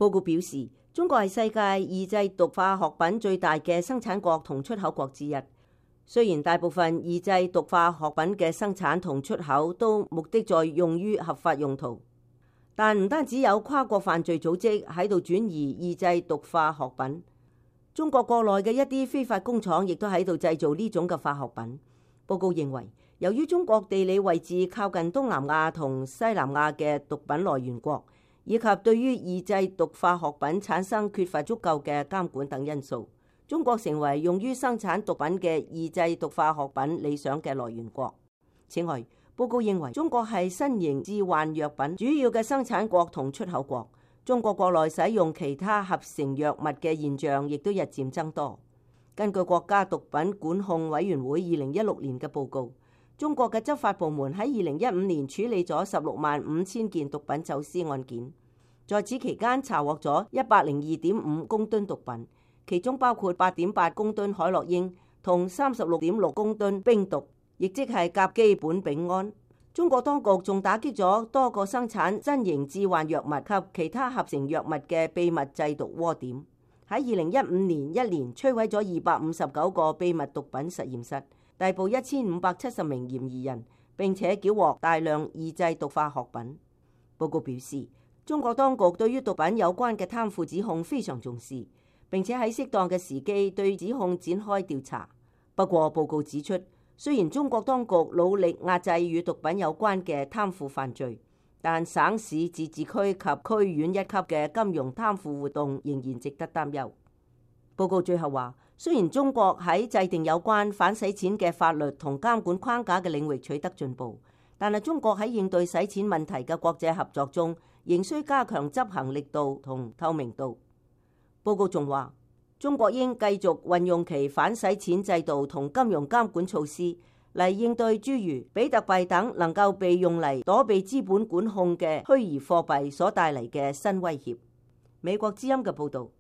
報告表示，中國係世界異製毒化學品最大嘅生產國同出口國之一。雖然大部分異製毒化學品嘅生產同出口都目的在用於合法用途，但唔單止有跨國犯罪組織喺度轉移異製毒化學品，中國國內嘅一啲非法工廠亦都喺度製造呢種嘅化學品。報告認為，由於中國地理位置靠近東南亞同西南亞嘅毒品來源國，以及對於異製毒化學品產生缺乏足夠嘅監管等因素，中國成為用於生產毒品嘅異製毒化學品理想嘅來源國。此外，報告認為中國係新型致幻藥品主要嘅生產國同出口國。中國國內使用其他合成藥物嘅現象亦都日漸增多。根據國家毒品管控委員會2016年嘅報告，中國嘅執法部門喺2015年處理咗165000件毒品走私案件，在此期間查獲咗102.5公噸毒品。其中包括8.8公噸海洛因同36.6公噸冰毒，亦即係甲基苯丙胺。中國當局仲打擊咗多個生產新型致幻藥物及其他合成藥物嘅秘密製毒窩點。喺2015年一年摧毀咗259個秘密毒品實驗室，逮捕1570名嫌疑人，並且繳獲大量異製毒化學品。報告表示，中國當局對於毒品有關嘅貪腐指控非常重視，並且喺適當嘅時機對指控展開調查。不過報告指出，雖然中國當局努力壓制與毒品有關嘅貪腐犯罪，但省市自治區及區縣一級嘅金融貪腐活動仍然值得擔憂。報告最後話，雖然中國喺制定有關反洗錢嘅法律同監管框架嘅領域取得進步，但係中國喺應對洗錢問題嘅國際合作中，仍需加強執行力度同透明度。報告仲話，中國應繼續運用其反洗錢制度同金融監管措施嚟應對諸如比特幣等能夠被用嚟躲避資本管控嘅虛擬貨幣所帶嚟嘅新威脅。美國之音嘅報導。